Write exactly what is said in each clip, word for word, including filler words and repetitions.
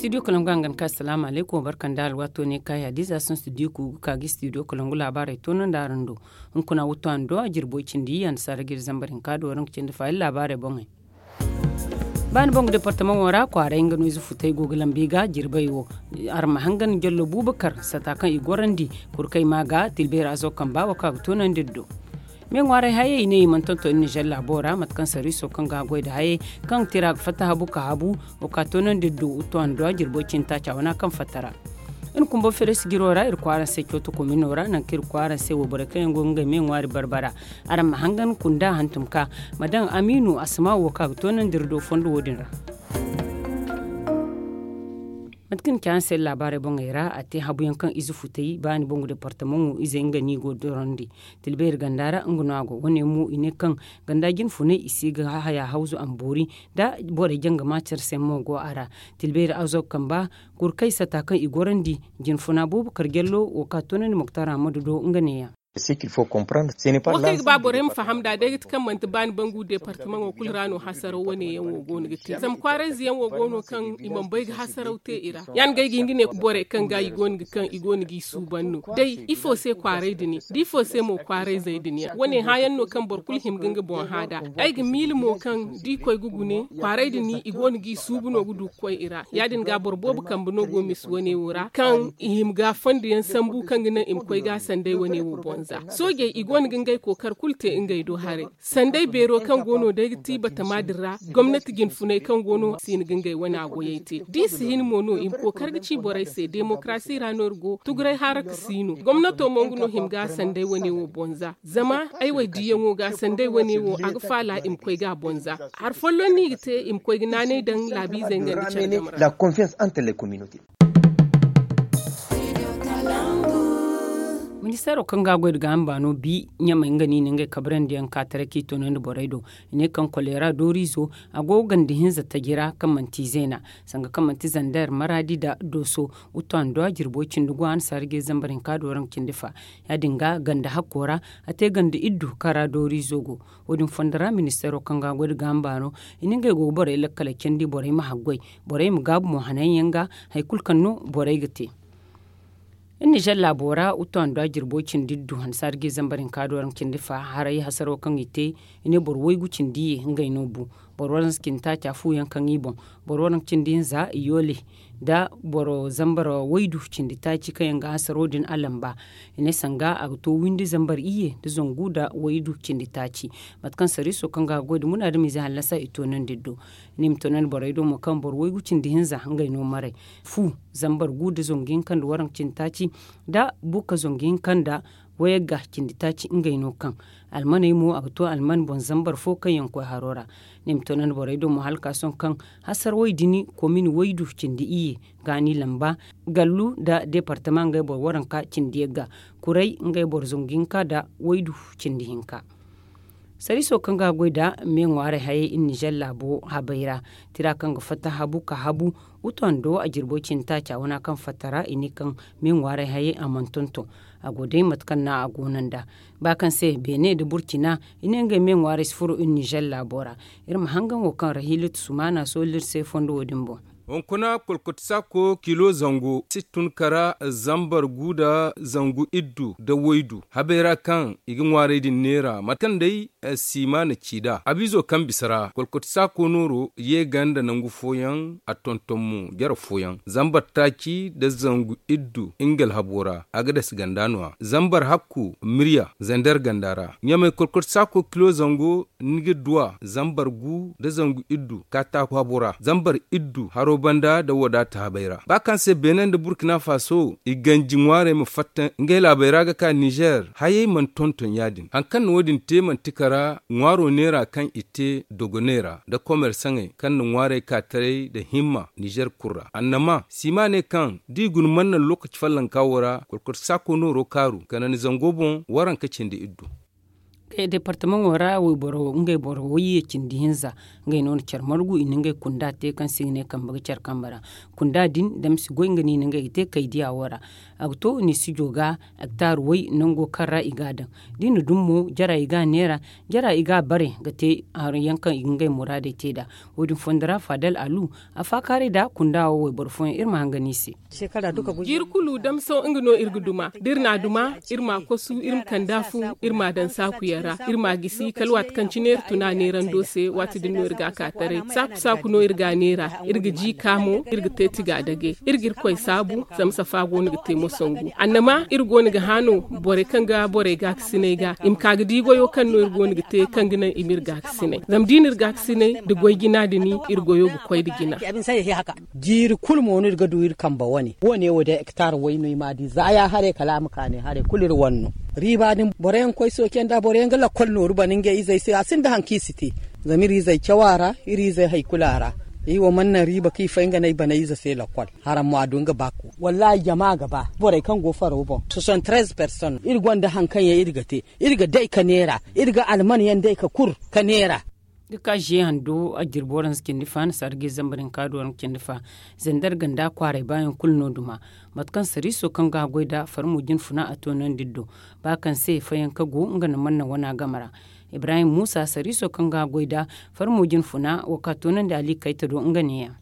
Studio kalangu a ga ni ka asalaamu alaykum wa barka nda alwaato ne kaayi hadiza sohõ studio ku ga ka ga studio kalangu laabaarey toonandi araŋ do. Hunkuna wuttu a na do a jirbo cindi annasaara ga iri zambar hinka do waraŋ ga cindi faayil laabaarey boŋey. Ba ni bangu departamaŋo ra kwaaray nga no ize futay go ga lambu i ga jirbey wo. Araŋ ma hangan jallo buubakar sata kaŋ i gorandi kurkey ma ga tilbeeri azo kamba wo kaŋ a ga toonandi iri do. Me ŋwaaray hayey i ne i mana tonton iri nizer laabo ra mate kaŋ sarwiiso kaŋ ga a goy nda hayey kaŋ tira ga fatta habu ka habu wo ka toonandi iri do wuttu a na do a jirbo cindi taaca wana kaŋ fatta ra. Iri kumbo feres jiro ra iri kwaara se cooto komino ra nangu kaŋ iri kwaara se wo borey kaŋ yaŋ go ga ngey me ŋwaari barbara. Araŋ ma hangan kunda hantum ka ma daŋ amiinu asama wo kaŋ a ga toonandi iri do fondo wo- din ra. Mate kaŋ ni ci araŋ se laabaarey boŋey ra a te habu yaŋ kaŋ ize futay ba ni bangu departamaŋo izey nga no i go ga dorandi. Tilbeeri ganda ra nga no a go wane mo i ne kaŋ ganda jinfunay i si ga haya hawzu a ma boori. Da borey jangama care se mo go a ra. Tilbeeri azo kamba kurkey sata kaŋ i gorandi jinfuna boobo kar jallo wo kaŋ a toonandi moktar ahmadu do nga ne- ya. Wo kaŋ ay ga ba borey ma faham nd'a day ga ti kaŋ manti baani bangu departamaŋo kulu ra no hasaraw wane yaŋ wo go no ga te zama kwaarayze yaŋ wo go no kaŋ i mana bay ga hasaraw te i ra. Ya- din ga ay ga hin ga ne borey kaŋ ga i go no ga kaŋ i go no g'i suuban no day ifo se kwaaray din da ifo se mo kwaarayzey din yaŋ wane hã yaŋ no kaŋ boro kulu hima ga nga boŋ hã nd'a. Ay ga miila mo kaŋ da i koy ga gune kwaaray din i go no g'i suubu no ga du ga koy i ra ya- din ga boro boobo kambe no go misa wane wo ra kaŋ i hima ga fondo yaŋ sambu kaŋ ga naŋ i ma koy ga sanday wane wo boŋ za soojey i go no ga ngey kookari kulu te ngey do haray. Sanday beero kaŋ go no day ga ti batama din ra gomnati jinfunay kaŋ go no si hin ga ngey wane a goyey te da i si hin mo no i ma kookari ga ci borey se demokarasi ra no iri go tuguray haraka si no gomnato mo nga no hima ga sanday wane wo boŋ za zama ay wo ay diiyaŋo ga sanday wane wo a ga faala i ma koy ga a boŋ za. Hari folloŋ no i ga te i ma koy ga naanay daŋ laabiizey nga nda care game ra. Ministeero kaŋ ga a goy nda gaaham baano bi ɲamey nga no i na ngey kabrandi yaŋ ka taray kaŋ i toonandi borey do. I ne kaŋ koleera dooriizo a go ganda hinza taji ra kaŋ manti izeena sanga kaŋ manti zander maraadi nda dooso. Wuttu a na do a jirbo cindi go a na saara ga i zambar hinka do waraŋ cindi fa. Ya- din ga ganda hakko ra a te ganda iddu kaŋ ra dooriizo go. Wo- din fondo ra ministeero kaŋ ga a goy nda gaaham baano i na ngey go ga borey lakkaley candi borey ma haggoy borey ma gaabu mo hananyaŋ ga hari kulu kaŋ no borey ga te. Iri nizer laabo ra wuttu a na do a jirbo cindi iddu hansaari ga i zambar hinka do waraŋ cindi fa haray hasaro kaŋ i te. I ne boro waygu cindi ye ngey no bu boro waranza cindi taaca fu yaŋ kaŋ i boŋ boro waranza cindi hinza i yoole nda boro zambar waydu cindi taaci kaŋ yaŋ ga hasaro din a lamba. I ne sanga a ga to windi zambar iyye nda zangu nda waydu cindi taaci. Mate kaŋ sariiso kaŋ ga a goy nda munaadamiize hallasa i toonandi iri do. I ne i ma toonandi borey do mo kaŋ boro waygu cindi hinza ngey no maray fu zambar gu nda zangu hinka nda waranka cindi taaci nda buuka zangu hinka nda wayagga cindi taaci ngey no kaŋ almaney mo a ga to alman boŋ zambar fo kaŋ yaŋ koy haro ra. Ne ma toonandi borey do mo hala ka sohõ kaŋ hasar way dini komin waydu cindi iyye gaani lamba gallu nda departama ngey boro waranka cindi yagga kuray ngey boro zangu hinka nda waydu cindi hinka. Sariiso kaŋ ga a goy nda me ŋwaaray hayey iri nizer laabo habey ra tira kaŋ ga fatta habu ka habu wutondo a jirbo cindi taaca wana kaŋ fatta ra i ne kaŋ me ŋwaaray hayey a mana tonton. A go day mate kaŋ no a go no nd'a ba kaŋ se beene nda burcina i ne ngey me ŋwaaray si furo iri nizer laabo ra. Iri ma hangan wo kaŋ rahiilatu sumaana sooli iri se fondo wo- din boŋ. Hunkuna kolkoti saako kilo zangu si tun kara zambar gu nda zangu iddu nda waydu habey ra kaŋ i ga ŋwaaray din neera mate kaŋ day siima na ci nd'a abiizo kaŋ bisa ra kolkoti saako nooro ye ganda nangu fooyaŋ a tonton mo jare fooyaŋ zambar taaci nda zangu iddu nga alhabo ra a ga dasi ganda no- ya zambar hakku mirya zander ganda ra ɲamey kolkoti saako kilo zango ni ga duw'a zambar gu nda zangu iddu kaataaku habo ra zambar iddu haro banda nda wadaata habey ra ba kaŋ se beene nda burkina faso i ganji ŋwaarey ma fatta ngey laabey ra ga ka nizer hayey mana tonton ya- din hari kaŋ na wo- din te manti kara ŋwaaro neera kaŋ i te dogoney ra nda komersaŋey kaŋ na ŋwaarey ka taray nda himma nizer kulu ra annama siima ne kaŋ da i guna mana naŋ lookaci fallanka wo ra kolkoti saako nooro kaaru kanandi zango boŋ waranka cindi iddu. Departamaŋo ra wayboro ngey boro wayye cindi hinza ngey no na care margu i na ngey kunda te kaŋ se i ga ne kambe ga care kambe ra. Kunda din damsi goy nga no i na ngey ga te kaydiya wo ra. A ga to ni sijo ga hektar way nango kaŋ ra i ga a daŋ. Da i na dum mo jara i ga a neera, jara i ga a bare ga te hari yaŋ kaŋ i ga ngey muraadey te nd'a. Wo- din fondo ra faadal alu a faakaaray nd'a kunda wo wayboro fooyaŋ iri ma hangan i se. Jiiri kulu damso nga no iri ga duma da iri n'a duma, iri m'a kosu iri ma kand'a fu, iri m'a daŋ saakuyaŋ ra, iri m'a gisi kala waati kaŋ cine iri tun a neerando se. Waati din no iri ga a ka taray saaku saaku no iri ga a neera. Iri ga jiika mo, iri ga te tiga dage. Iri ga irkoy saabu, zama safa go no ga te mosangu annama iri go no ga hã no. Borey kaŋ ga borey gaakasiney ga i ma ka ga di goyo kaŋ no iri go no ga te kaŋ ga naŋ i ma iri gaakasiney. Zama da i na iri gaakasiney nda goy jina din, iri goyo ga koy nda jina. Jiiri kulu mo no iri ga du iri kambe wane wo- ne wo day hektar way no i m'a di za ya haray kala a ma ka ne haray kulu iri wane no. Riiba din boro yaŋ ga koy sooce nd'a boro yaŋ ga lakkol nooru bana ngey izey se a sinda hari kaŋ i si te. Zama iri izey caw a ra, iri izey hari kulu a ra. I wo mana naŋ riiba kaŋ i fay nga no ay bana ize se lakkol. Haraŋ mo a du nga ba ku wallaahi jama ga ba borey kaŋ go faro boŋ. Soixante-treize personnes iri gonda hari kaŋ yaŋ iri ga te. Iri ga day ka neera, iri ga alman yaŋ day ka kur ka neera. Ga ka ziye hando a jirbi waranza cindi fa na sarga ize zambar hinka da waranka cindi fa. Zandar ganda kwaaray baayaŋ kulu no duma. Mate kaŋ sariiso kaŋ ga a goy nd'a farmo jine funa a toonandi iri do. Ba kaŋ se fayanka go nga na manna wana game ra. Ibrahim muusa sariiso kaŋ ga a goy nd'a farmo jine funa wo ka toonandi ali kayta do nga neeya.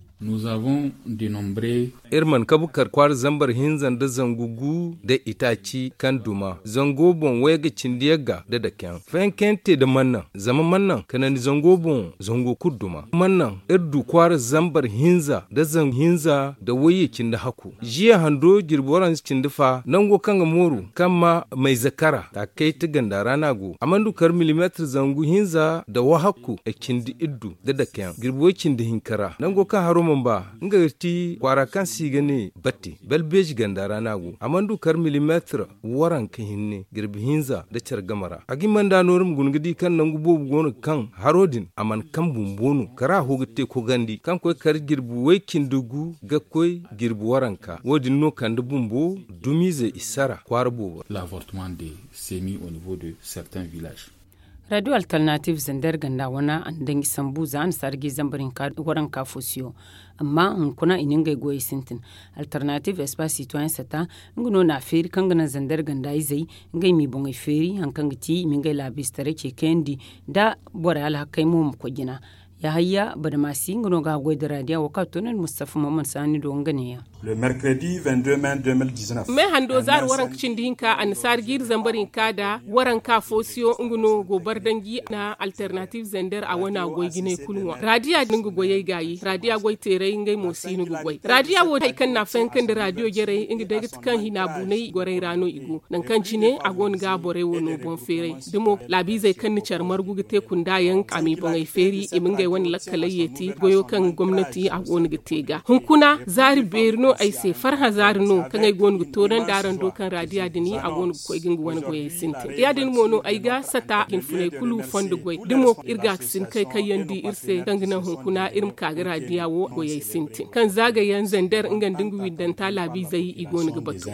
Iri mana kabu kar kwaara zambar hinza nda zangu gu nda itaaci kaŋ duma zango boŋ wayga cindi yagga nda dakeyaŋ fayankayaŋ te nda mannaŋ. Zama mannaŋ kanandi zango boŋ zango kulu duma mannaŋ. Iri du kwaara zambar hinza nda zangu hinza nda wayye cindi hakku. Ziya hando jirbi waranza cindi fa nango kaŋ ga mooru kaŋ ma mayze kara taakayta ganda ra no a go a mana du kar milimeetir zangu hinza nda wahakku. Cindi iddu nda dakeyaŋ jirbi way cindi hinka ra nango kaŋ haro mana ba nga ga ti kwaara kaŋ se i ga ne batte balbeeji ganda ra no a go a mana du kar milimeetir waranka hinne jirbi hinza nda care game ra a ga hima nd'a nooru ma guna ga di kaŋ nangu boobo go no ga kaŋ haro din a mana kaŋ bumbo no kara ho ga te kogandi kaŋ koy kar jirbi way cindi gu ga koy jirbi waranka wo- din no kande bumbo dumiize i sara kwaara boobo ra. Raadiyo alternatiiv zandar ganda wana a na daŋ i sambu za a na sarga i zambar hinka waranka fo siyo. Amma hunkuna i na ngey goyey sintin. Alternatiiv espace citoyen sata nga no na a feeri kaŋ ga naŋ zandar ganda izey ngey m'i boŋey feeri hari kaŋ ga ti i ma ngey laabiize taray ce kayandi nda borey alhakey mo ma koy jina. Yahayya badamaasi nga no ga a goy nda raadiya wo kaŋ a to no nda mustafa maman saani do nga neeya. Me hando zaari waranka cindi hinka annasaari jiiri zambar hinka nda waranka foosiyo nga no go bardanji na alternatiiv zender a wana goy jinay kulu ŋwa raadiya din ga goyey gaayi raadiya goy teeray ngey mo si no ga goy raadiya wo hari kaŋ na a fayanka nda raadiyo jarey nga day ga ti kaŋ hina buunay goray ra no i go nangu kaŋ cine a go no ga borey wo no boŋ feeray da mo laabiizey kaŋ na care margu ga te kunda yaŋ a m'i boŋey feeri i ma ngey wane lakkaley yeeti goyo kaŋ gomnati a go no ga te ga hunkuna zaari beeri no ay se farhã zaari no kaŋ ay go no ga toonandi araŋ do kaŋ raadiya din a go no ga koy ga nga wane goyey sintin ya- din mo no ay ga sata jinfuney kulu fondo goy da mo iri ga ga sin kay kaŋ yaŋ di iri se kaŋ ga naŋ hunkuna iri ma ka ga raadiya wo goyey sintin kaŋ zaagayaŋ zender nga nda nga windanta laabiizey i go no ga batu.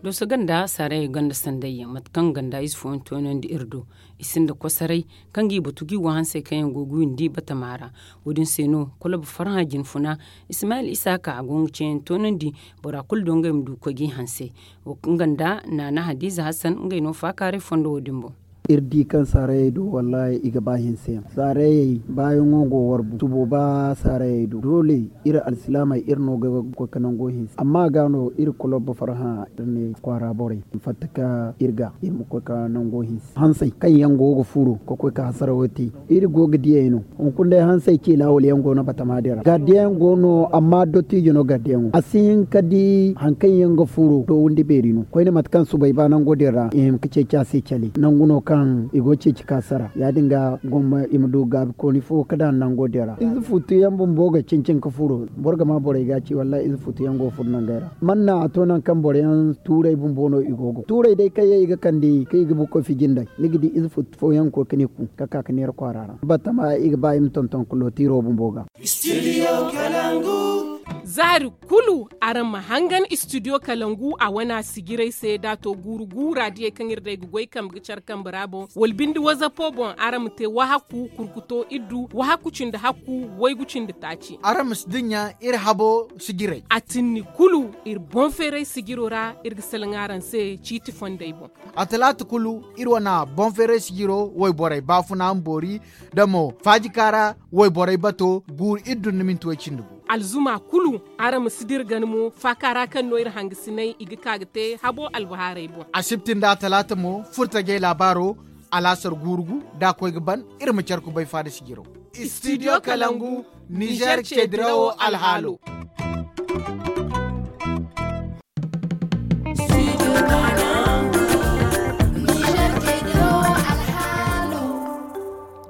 Dooso ganda saarayey gonda sandayyaŋ mate kaŋ ganda ize fooyaŋ toonandi iri do i sinda kosoray kaŋ ga i batu ga i wo hansey kaŋ yaŋ go ga windi batama ra. Wo- din se no kolob farhã jinfuna ismayil isaaka a go nga ceeyaŋ toonandi bora kulu do ngey ma du ga koy ga i hansey. Wo kaŋ ganda naana hadiiza hasan ngey no faakaaray fondo wo- din boŋ. Iri di kaŋ saarayey do wallaahi i ga ba hinse yaŋ saarayey baayaŋo go warbu subo ba saarayey do doole iri alsilaamey iri no ga koy ga nango hinse amma ga no iri kolob farhã iri ne kwaara borey ma fatta ka iri ga iri ma koy ga nango hinse hansey kaŋ yaŋ go ga furo ga koy ga hasarawo te. Iri go ga diyey no hunkuna day hansey ciila wala yaŋ go no batama din ra gardiyaŋ go no amma dottijo no gardiyaŋo a si hin ka di hari kaŋ yaŋ ga furo dowandi beeri no koyne mate kaŋ subay ba nango din ra i hin ga ceeci a se cale nangu no kaŋ i go ga ceeci ka sara ya- din ga gomma i ma du gaabikooni fo ga daŋ nango din ra ize futu yaŋ bumbo ga cencin ga furo boro ga ma borey ga ci wallaahi ize futu yaŋ go ga furo nangey ra manna a to nangu kaŋ boro yaŋ tuuray bumbo no i go ga tuuray day kaŋ yaŋ i ga kande kaŋ i ga bukoy fiji nd'ey ni ga di ize futu fooyaŋ ga koy ga ne ku ga ka ga neera kwaara ra batama i ga ba i ma tonton ga lootiiro bumbo ga. Studio kalangu. Zaari kulu araŋ ma hangan istudiyo kalangu a wana sijirey se da a to guuru guura diyey kaŋ iri day ga goy kambe ga care kambe ra boŋ wala binde wazapo boŋ araŋ ma te wahakku kurkuto iddu wahakku cindi hakku waygu cindi taaci. Araŋ ma si dinya iri habo sijirey a tinni kulu iri boŋ feeray sijiro ra iri ga salaŋ araŋ se ciiti fondey boŋ. A talaata kulu iri wane boŋ feeray sijiro wayborey baafuna ma boori da mo faajika ra wayborey bato guuru iddu nda minti way cindi gu. Alzuma kulu araŋ ma si dira gana mo faaka ra kaŋ no iri hangasiney i ga ka ga te habo albahaarey boŋ. Asibti nda a talaata mo furtajey laabaaro alaasar guuru gu da a koy ga ban iri ma care kubay faada sijiro. Istidiyo kalangu nizer ceedirawo alhaalo.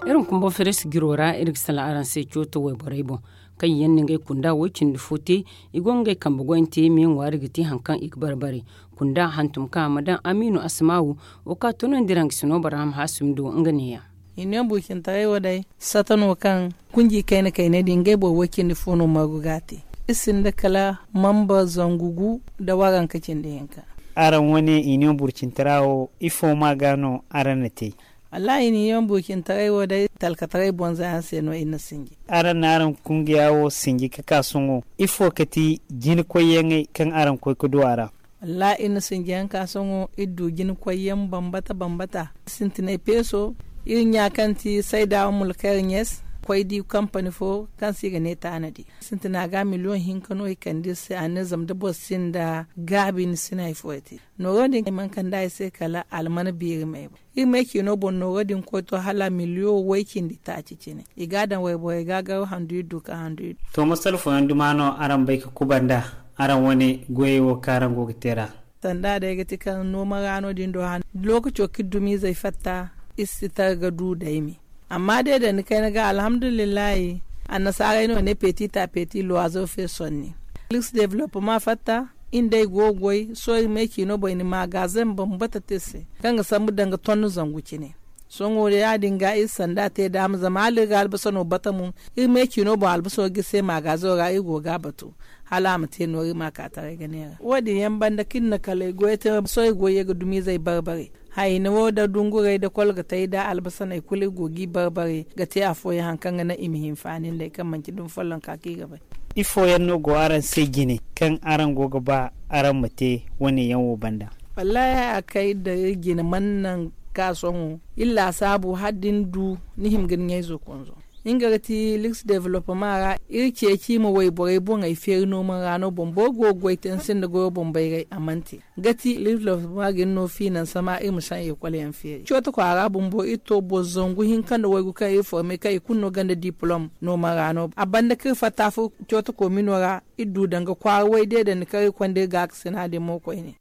Iri ma kumbo feres jiro ra iri ga sala araŋ se cooto wayborey boŋ kaŋ yaŋ na ngey kunda way cindi fo te. I go ga ngey kambe goyante me ŋwaari ga te hari kaŋ i ga bare bare kunda hantum kaŋ a ma daŋ amiinu asimaawu. Wo kaŋ a toonandi iri hangasino barham haasumi do nga neeya. I ne burcintaray wo day sata no kaŋ kunji kayna kayna din ngey boro way cindi fo no margu ga a te. Iri sinda kala mamba zangu gu nda waranka cindi hinka. Araŋ wane i ne burcintara wo ifo ma ga no araŋ na te? Wallahi i ne i ne burcintaray wo day talkataray bonza yaŋ se no iri na sinji. Araŋ na araŋ kungiya wo sinji ka ka sohõ ifo ka ti jina koyyaŋey kaŋ araŋ koy ka du a ra? Wallahi iri na sinjiyaŋ ka sohõ iri du jina koyyaŋ bambata bambata sintinay peeso. Iri ɲa kaŋ ti sayda mulkayra ɲes koy di kampani fo kaŋ se i ga ne taanadi sintina ga miliyoŋ hinka no i kande iri se a ne zama da boro sinda gaabi ni si no hari fo te. Nooro din ay mana kande a se kala almana beeri may boŋ. Iri ma ay ciino boŋ nooro din koy to hala miliyo way cindi taaci cine. I ga a daŋ wayborey ga a garo handu iri du ka handu iri du. To masala fooyaŋ duma no araŋ bay ka kuba nd'a araŋ wane goyey wo kaŋ araŋ go ga te ra? Sanda day ga ti kaŋ nooma ra no din do han lookaco kaŋ iri dumiizey fatta iri si tara ga du day me. Amma day da ni kayna ga alhamdulillahi. Annasaarey no ne peeti ta peeti luwaazo fe sonni. Iri si developement fatta iri nd'ey go ga goy sohõ iri ma ay ciino boŋ i na maagaazeŋ bambata te iri se kaŋ ga sambu danga tonno zangu cine. Sohõ ya- din ga iri sanda te daama zama hala iri ga albasa no bata mo iri ma ay ciino boŋ albaso ga iri se maagaazo ra iri go ga a batu hala a ma te nooru iri ma a ka taray ga neera wo- din yaŋ banda kaŋ iri na kala ay goyey te sohõ ay goyey ga dumiizey bare bare. Hayna wo nda dunguray nda kolgatay nda albasaney kulu iri go ga i bare bare ga te afooyaŋ hari kaŋ ga naŋ i ma hinfaani nd'ey kaŋ manci dumi follonka kaŋ i ga bay. Ifo yaŋ no go araŋ se jine kaŋ araŋ go ga ba araŋ ma te wane yaŋ wo banda? Wallaahi a kay nda iri jine mana naŋ ka sohõ iri laasaabu hala da ni du ni hima ga ni ɲayzo konzo. Nga ga ti liks developement ra iri ceeci i ma wayborey boŋey feeri nooma ra no boŋ boro go ga goy te ni sinda goyo boŋ bayray a mana te. Ga ti liks developement ga ni no fiinanse ma iri ma saŋ ekol yaŋ feeri cooto kwaara bumbo iri to boro zangu hinka nda waygu kaŋ iri forme kaŋ i kulu no gonda diplom nooma ra no a banda kaŋ iri fatta fo cooto komino ra. Iri du danga kwaara way deedandi kaŋ iri konda iri gaakasina din mo koyne.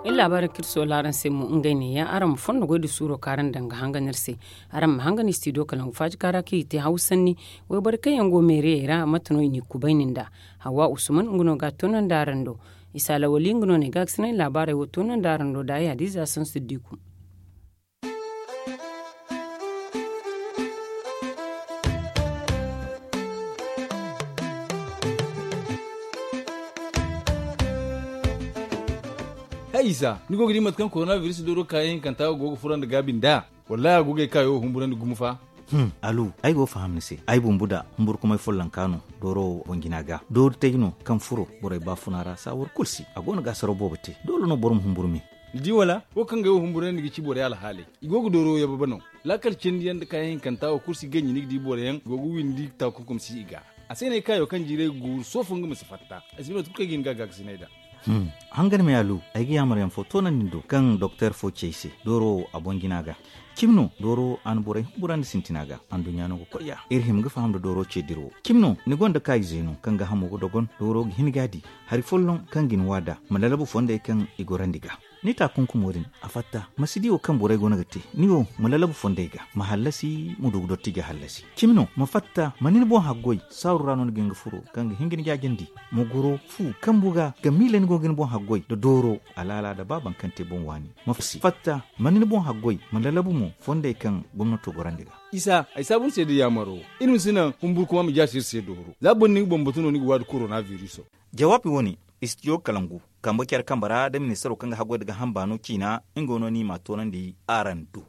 Iri laabaari kaŋ iri soola araŋ se mo ngey neeya araŋ ma fondo goy da suuro kaŋ araŋ daŋ ga hangan iri se. Araŋ ma hangan istidiyo kalangu faajika ra kaŋ i te hawsanni. Wayborey kaŋ yaŋ go meeriyey ra mate no i n'i kubay nin da? Hawa usman nga no ga a toonandi araŋ do. Isa lawali nga no ne gaakasinay laabaarey wo toonandi araŋ do da ay hadiza sansu diku. Hay isa ni go ga di mate kaŋ korona biris dooro kaayaŋ hinkanta go ga furo nda gaabi nd'a? Wallahi a go ga ay kaayo wo humburandi gumo fa. Alu, ay go ga faham ni se. Ay bumbu da humburkumay follonka no dooro wo boŋ jina ga doori tay no kaŋ furo borey baafuna ra saawar kulu si a go no ga asaraw boobo te doole no boro ma humburu me. Ni di wala wo kaŋ ga ay wo humburandi ga ci borey alhaaley. I go ga dooro wo yababa no. Laakal cindi yaŋ nda kaayaŋ hinkanta wo kulu si ganji ni ga di boro yaŋ go ga windi taakunkum si i ga. A se no ay kaayo kaŋ jiiray ga guuru soofo nga ma si fatta. Ay si bay mate kulu kaŋ ay ga hin ga gaakasinay nd'a. Hangan me alu, ay ga yaamar yaŋ fo toonandi ni do kaŋ doktor fo ci ay se dooro wo a boŋ jina ga. Cimi no dooro wo a na borey humburandi sintina ga anduɲɲa no ga koy ya iri hima ga faham nda dooro ce dira wo. Cimi no ni gonda kaayize no kaŋ ga hamo ga dogon dooro ga hin ga a di hari folloŋ kaŋ ga ni waada ma lalabu fondey kaŋ i gorandi ga. Ni taakunkumo din, a fatta ma si di wo kaŋ borey go no ga te. Ni wo, ma lalabu fondey ga, ma hallasi ma du ga dotti ga hallasi. Cimi no, ma fatta ma ni ni boŋ haggoy. Saaru ra no ni ga hin ga furo kaŋ ga hin ga ni jaajandi. Ma goro fu kambu ga ga miila ni go ga ni boŋ haggoy nda dooro, alaala nda ba baŋ kaŋ te boŋ waani. Ma fatta ma ni ni boŋ haggoy, ma lalabu mo fondey kaŋ gomnato gorandi ga. Isa, ay saabu ni se da yaamaro. Iri ma si naŋ humburu kuma ma jaasi iri se dooro za boro ni ga bambatu no ni ga waadi korona viriso. Jawaabi wo- ne, istidiyo kalangu, kambe care kambe ra da ministaro kaŋ ga haggoy nda ga hamba no ciina. Nga no ni ma a toonandi araŋ do.